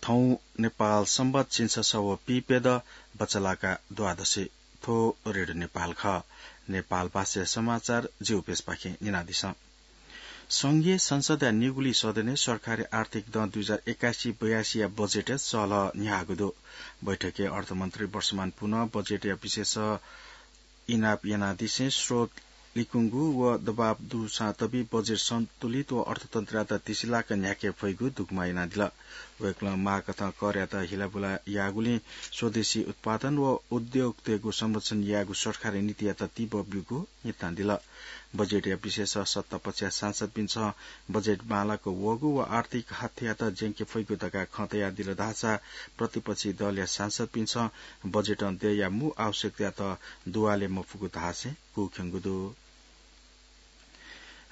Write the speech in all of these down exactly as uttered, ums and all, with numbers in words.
थौं नेपाल संवत झिंछसः व पीप्यदँ बचलाका द्वादशी। थ्व रेडियो नेपाल खः। नेपाल भाषाया समाचार जिगु पेजपाखें न्यनादिसँ। संघीय संसदया निगुलिं सदनय् सरकारी आर्थिक दँ दुई हजार एकासी बयासीया बजेटय् सलह न्ह्याःगु दु। बैठकय् अर्थमन्त्री वर्षमान पुनं बजेटया विशेष इनाप यानादिसें स्रोत लिकुंगु व दबाव दुसां तबि बजेट सन्तुलित व अर्थतन्त्रयात तिसिलाक न्ह्याके फइगु दुग्मा यानादिल। वय्कलं माःकथं करयात हिलाबुला याःगुलिं स्वदेशी उत्पादन व उद्योगतय्गु संरक्षण यायेगु सरकारी नीतियात तीव्र ब्यूगु न्यनादिल। बजेटया विशेष सत्ता पक्षया सांसदपिन्सं बजेट बांलाक वःगु व आर्थिक हथ्यात ज्यंके फइगु धकाः खँ तयादिल धाःसा प्रतिपक्षी दलया सांसदपिन्सं बजेटं देय्या मू आवश्यकतायात दुवाले मफुगु धासें कूख्यंगु दु।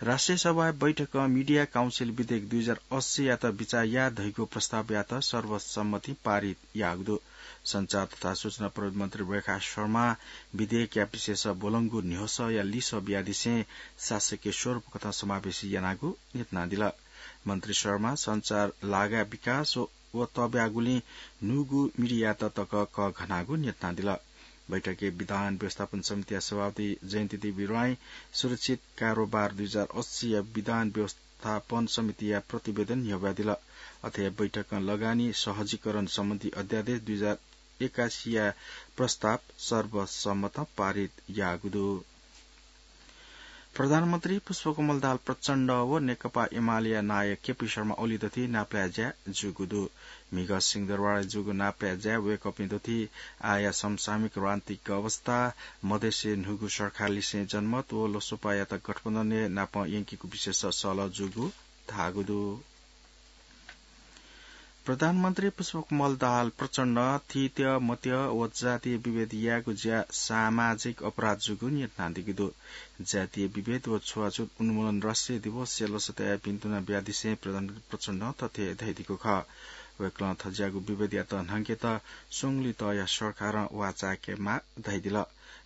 राष्ट्रिय सभाया बैठकं मिडिया काउन्सिल विधेयक दुई हजार अस्सीयात बिचाः याये धइगु प्रस्तावयात सर्वसम्मतिं पारित याःगु दु। सञ्चार तथा सूचना प्रविधि मन्त्री रेखा शर्मां विधेयकया विशेष ब्वलंगु न्ह्यसःया लिसः बियादिसें शासकीय स्वरूप कथं समावेशी यानागु न्यनादिल। मन्त्री शर्मां सञ्चार लागा विकास व तब्यागुलिं न्हूगु मिडियात तक कःघानागु न्यनादिल। बैठकय् विधान व्यवस्थापन समितिया सभापति जयन्ती देवी राईं सुरक्षित कारोबार दुई हजार अस्सीया विधान व्यवस्थापन समितिया प्रतिवेदन न्ह्यब्वयादिल। अथे बैठकं लगानी सहजीकरण सम्बन्धी अध्यादेश दुई हजार एकासीया प्रस्ताव सर्वसम्मतं पारित याःगु दु। प्रधानमन्त्री पुष्पकमल दाहाल प्रचण्ड व नेकपा एमालेया नायः केपी शर्मा ओली दथुइ नापलाये ज्या जूगु दु। म्हिगः सिंहदरबारय् जूगु नापलाये ज्याय् वय्कःपिं दथुइ आःया समसामयिक राजनीतिक अवस्था, मधेसय् न्हूगु सरकार लिसें जनमत व लोकसभायात गठबन्धनय् नापं यंकेगु विषयस सलह जूगु धाःगु दु। प्रधानमन्त्री पुष्पकमल दाहाल प्रचण्डं थीथी मत व जातीय विभेद यायेगु ज्या सामाजिक अपराध जूगु न्यनादीगु दु। जातीय विभेद व छुवाछुत उन्मूलन राष्ट्रिय दिवसया लसताया भिन्तुना बियादिसें प्रधानमन्त्री प्रचण्डं थथे धयादीगु खः। वय्कलं थज्याःगु विभेदयात न्हंकेत स्वंगुलिं तःया सरकारं वाःचायेकेमाः धयादिल।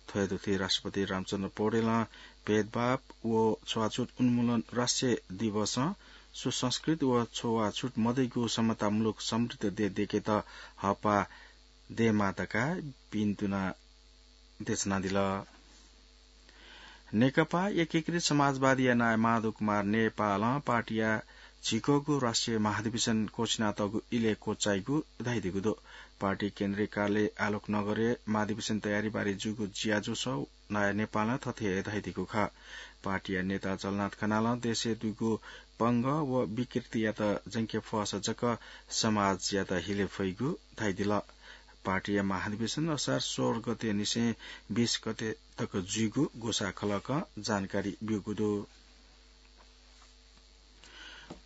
थ्व हे दथुइ राष्ट्रपति रामचन्द्र पौडेलं भेदभाव व छुवाछुत उन्मूलन राष्ट्रिय दिवसं सुसंस्कृत व छुवाछुत मदइगु समतामूलक समृद्ध देय् दयेकेत हःपाः दयेमाः धकाः भिन्तुना देछानादिल। नेकपा एकीकृत समाजवादीया नायः माधव कुमार नेपालं पार्टीया झिक्वःगु राष्ट्रिय महाधिवेशन क्वःछिनातःगु इलय् क्वचाइगु धयादीगु दु। पार्टी केन्द्रीय कार्यालय आलोक नगरय् महाधिवेशन तयारीबारे जूगु ज्याझ्वलय् नायः नेपालं थथे धयादीगु खः। पार्टीया नेता झलनाथ खनालं देशय् दुगु पंगः व विकृतियात ज्यंके फःसा जक समाजयात हिले फइगु धयादिल। पार्टीया महाधिवेशन असार सोह्र गते निसें बीस गते तक जुइगु ग्वसाः खलकं जानकारी ब्यूगु दु।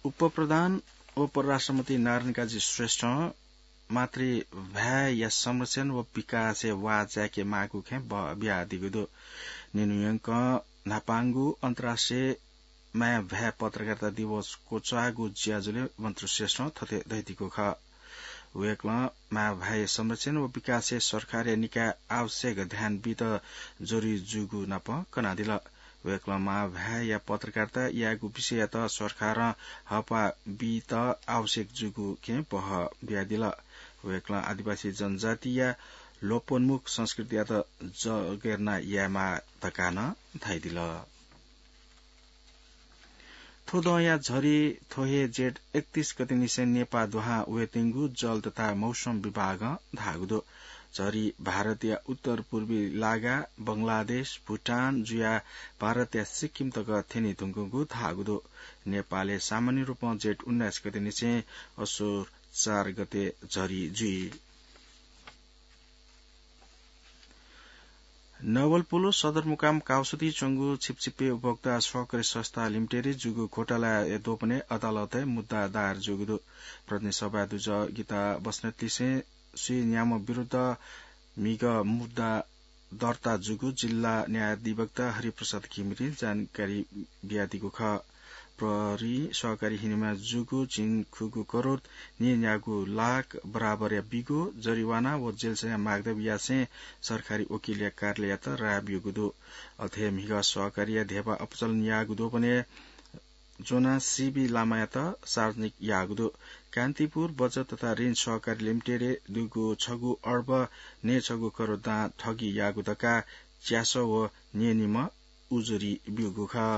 उपप्रधान व परराष्ट्रमन्त्री नारायण काजी श्रेष्ठं मातृभाय्‌या संरक्षण व विकासय् वाःचायेके माःगु खँय् बः बियादीगु दु। निन्हुयंकं न्हापांगु अन्तर्राष्ट्रिय माय्‌भाय् पत्रकारिता दिवस क्वचाःगु ज्याझ्वलय् मन्त्री श्रेष्ठं थथे धयादीगु खः। वय्‌कलं माय्‌भाय्‌या संरक्षण व विकासय् सरकारया निकायं आवश्यक ध्यान बीत जरुरी जूगु नाप कनादिल। वय्‌कलं माय्‌भाय्‌या पत्रकारिता यायेगु विषययात सरकारं हःपाः बीत आवश्यक जूगु खँय् बः बियादिल। वय्‌कलं आदिवासी जनजातिया लोपोन्मुख संस्कृतियात जगेर्ना यायेमाः धकाः नं धयादिल। थ्व दँया झरी थ्व हे जेठ एकतीस गते निसें नेपाः दुहां वयेत्यंगु जल तथा मौसम विभागं धाःगु दु। झरी भारतया उत्तर पूर्वी लागा, बंगलादेश, भुटान जुयाः भारतया सिक्किम तक थ्यने धुंकूगु धाःगु दु। नेपालय् सामान्य रूपं जेठ उन्नाइस गते निसें असोज चार गते झरी जुइ। नवलपुलु सदरमुकाम काउसुति च्वंगु छिपछिपे उपभोक्ता सहकारी संस्था लिमिटेडय् जूगु घोटालाया दोपनय् अदालतय् मुद्दा दायर जूगु दु। प्रतिनिधि सभाय् दुजः गीता बस्नेतलिसें स्वीन्याम्ह विरुद्ध म्हिगः मुद्दा दर्ता जूगु जिल्ला न्यायाधिवक्ता हरिप्रसाद घिमिरें जानकारी बियादीगु खः। प्रहरीं सहकारी हिनेमा जूगु झिंखुगु करोड नीन्यागू लाख बराबरया बिगु जरिवाना व जेलसया मागदब यासें सरकारी वकिलया कार्यालययात राय ब्यूगु दु। अथे म्हिगः सहकारीया धेबा अपचलन याःगु दोपनय् ज्वनाः सीबी लामायात सार्वजनिक याःगु दु। कान्तिपुर बचत तथा ऋण सहकारी लिमिटेडय् दुगु छगू अर्ब नयेछगू करोड दां ठगी याःगु धकाः च्यासः व न्यनीम्ह उजुरी ब्यूगु खः।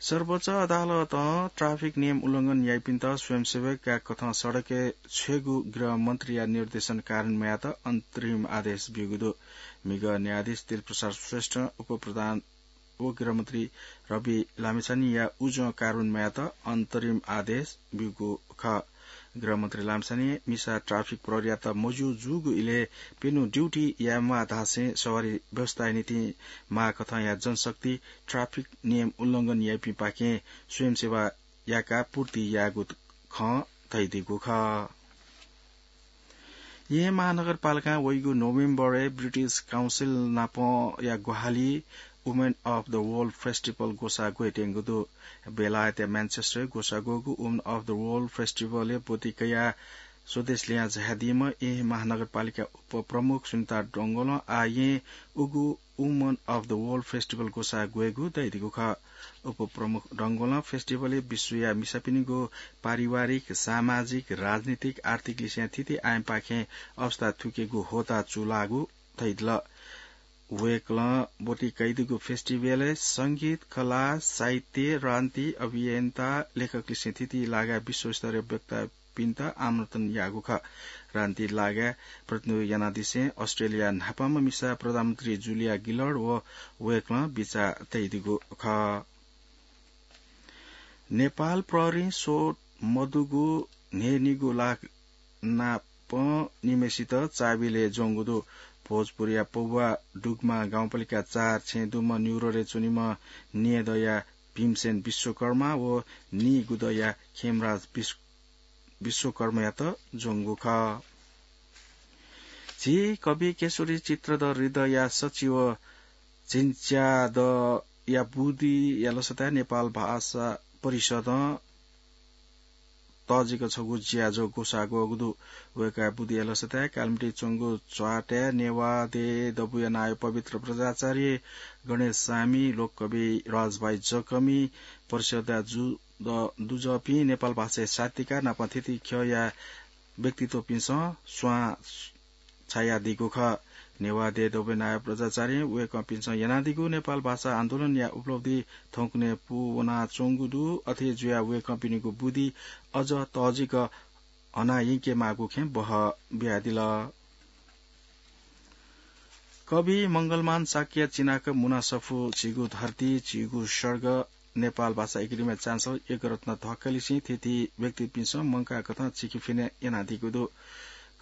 सर्वोच्च अदालतं ट्राफिक नियम उल्लंघन याइपिन्त स्वयंसेवकया कथं सडकय् छ्वयेगु गृह मन्त्रीया निर्देशन कारण मयात अन्तरिम आदेश ब्यूगु दु। म्हिगः न्यायाधीश त्रिप्रसाद श्रेष्ठ, उपप्रधान व गृहमन्त्री रवि लामिछानेया उजं कारण मयात अन्तरिम आदेश ब्यूगु खः। गृहमन्त्री लामिछानें मिसा ट्राफिक प्रहरीयात मज्यू जूगु इलय् प्यन्हु ड्युटी यायेमाः धासें सवारी व्यवस्थाया निंतिं माःकथंया जनशक्ति ट्राफिक नियम उल्लंघन याइपिंपाखें स्वयंसेवा याकाः पूर्ति यायेगु खँ धयादीगु खः। येँ महानगरपालिकां वइगु नोभेम्बरय् ब्रिटिश काउन्सिल नापंया ग्वाहालि Women of the World Festival ग्वसाः ग्वयेत्यंगु दु। बेलायतया म्यानचेस्टरय् ग्वसाः ग्वःगु Women of the World Festivalय् ब्वति कयाः स्वदेश लिहां झायादीम्ह येँ महानगरपालिका उपप्रमुख सुनिता डंगोलं आः येँ उगु Women of the World Festival ग्वसाः ग्वयेगु धयादीगु खः। उपप्रमुख डंगोलं फेस्टिभलय् विश्वया मिसापिनिगु पारिवारिक, सामाजिक, राजनीतिक, आर्थिक लिसें थीथी आयामपाखें अवस्था थुइकेगु ह्वःताः चूलाःगु धयादिल। वय्कलं ब्वति कयादीगु फेस्टिभलय् संगीत, कला, साहित्य, राजनीति, अभियन्ता, लेखक लिसें थीथी लागाय् विश्वस्तरीय वक्ता पिन्त आमन्त्रण याःगु खः। राजनीति लागाय् प्रतिनिधित्व यानादिसें अस्ट्रेलिया न्हापांम्ह मिसा प्रधानमन्त्री जुलिया गिलर्ड व वय्कलं बिचाः तयादीगु खः। नेपाल प्रहरीं सोध मदुगु न्हय्निगू लाख नाप निम्हेसित चाबिलय् ज्वंगु दु। भोजपुरया पौवा डुग्मा गाउँपालिका चार छेँ दुम्ह न्युरोडय् च्वनीम्ह न्येदँया भीमसेन विश्वकर्मा व नीगुदँया खेमराज विश्व-, विश्वकर्मायात ज्वंगु खः। झी कवि केशरी चित्रधर हृदयया सचिव झिंच्यादँया बुदिया लसताय् नेपाल भाषा परिषदं तःजिक छगू ज्याझ्वः ग्वसाः ग्वःगु दु। वय्कःया बुदिया लसताय् कालिमाटी च्वंगु च्वातय् नेवाः देय् दबूया नायः पवित्र बज्राचार्य, गणेश सामी, लोककवि राजभाइ जकमी, परिषदया जु-, द-, दुजःपिं नेपाल भाषाया साहित्यकार नाप थीथी ख्यःया व्यक्तित्वपिन्सं स्वां छायादीगु खः। नेवाः देय् दबूया नायः बज्राचार्यं वय्कःपिन्सं यानादीगु नेपाल भाषा आन्दोलनया उपलब्धि थौंकन्हय् पूवनाच्वंगु दु। अथे जुयाः वय्कःपिनिगु बुदि अझ तःजिक हनायंकेमाःगु खँय् बहः बियादिल। कवि मंगलमान शाक्य चिनाक मुना सफू झीगु धरती, झीगु स्वर्ग, नेपाल भाषा एकेडेमीया चान्सलर यज्ञरत्न ढकाललिसें थीथी व्यक्तिपिन्सं मंकाःकथं चिकिफिने यानादीगु दु।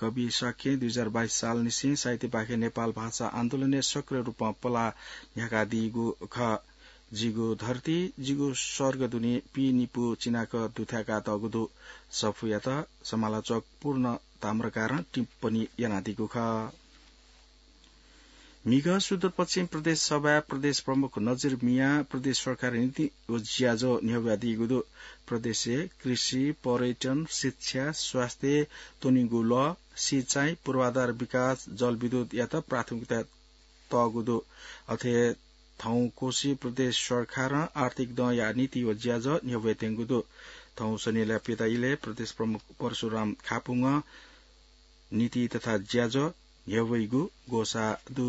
कवि शाक्यं दुई हजार बाइस सालनिसें साहित्यपाखें नेपाल भाषा आन्दोलनय् सक्रिय रूपं पलाः न्ह्याकादीगु खः। जिगु धरती, जिगु स्वर्ग दुने पीनिपु चिनाक दुथ्याकातःगु दु। सफूयात समालोचक पूर्ण ताम्रकारं टिप्पणी यानादीगु खः। म्हिगः सुदूरपश्चिम प्रदेश सभाया प्रदेश प्रमुख नजिर मियां प्रदेश सरकारया नीति व ज्याझ्वः न्ह्यब्वयादीगु दु। प्रदेशय् कृषि, पर्यटन, शिक्षा, स्वास्थ्य, त्वनीगु लः, सिँचाइ, पूर्वाधार विकास, जलविद्युतयात प्राथमिकता तःगु दु। अथे थौं कोशी प्रदेश सरकारं आर्थिक दँया नीति व ज्याझ्वः न्ह्यब्वयात्यंगु दु। थौं शनिलया प्यता इलय् प्रदेश प्रमुख परशुराम खापुंगं नीति तथा ज्याझ्वः न्ह्यब्वइगु ग्वसाः दु।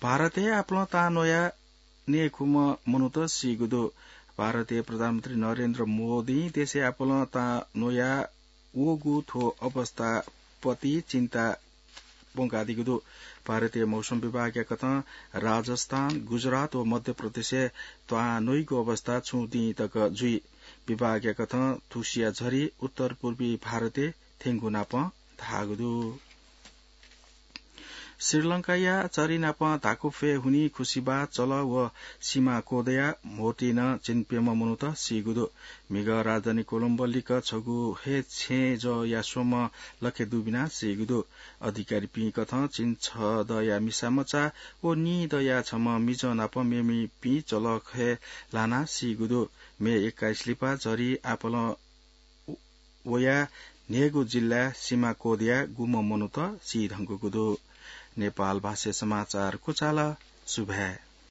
भारतय् आपालं तां न्वयाः नयेखुम्ह मनूत सीगु दु। भारतय् प्रधानमन्त्री नरेन्द्र मोदीं देशय् आपालं तां न्वयाः वःगु थ्व अवस्थाप्रति चिन्ता प्वंकादीगु दु। भारतीय मौसम विभागया कथं राजस्थान, गुजरात व मध्य प्रदेशय् तां न्वइगु अवस्था छुं दिं तक जुइ। विभागया कथं थुसिया झरी उत्तर पूर्वी भारतय् थ्यंगु नापं धाःगु दु। श्रीलंकाया चरी नाप धाकुफय् हुनी खुसिबा चल व सिमा कोदया म्होतिं झिंप्यम्ह मनूत सीगु दु। म्हिगः राजधानी कोलम्बो लिक्क छगू हे छेँजःया स्वम्ह लखे दुबिनाः सीगु दु। अधिकारीपिं कथं झिंछदँया मिसामचा व नीदँया छम्ह मिजं नाप मेमेपिं चलखय् लानाः सीगु दु। मे एक्काइस लिपा झरी आपालं वयाः न्हय्गू जिल्लाय् सिमा कोदया गुम्ह मनूत सीधंकूगु दु। नेपाल भाषाय् समाचार क्वचाल। सुभाय्।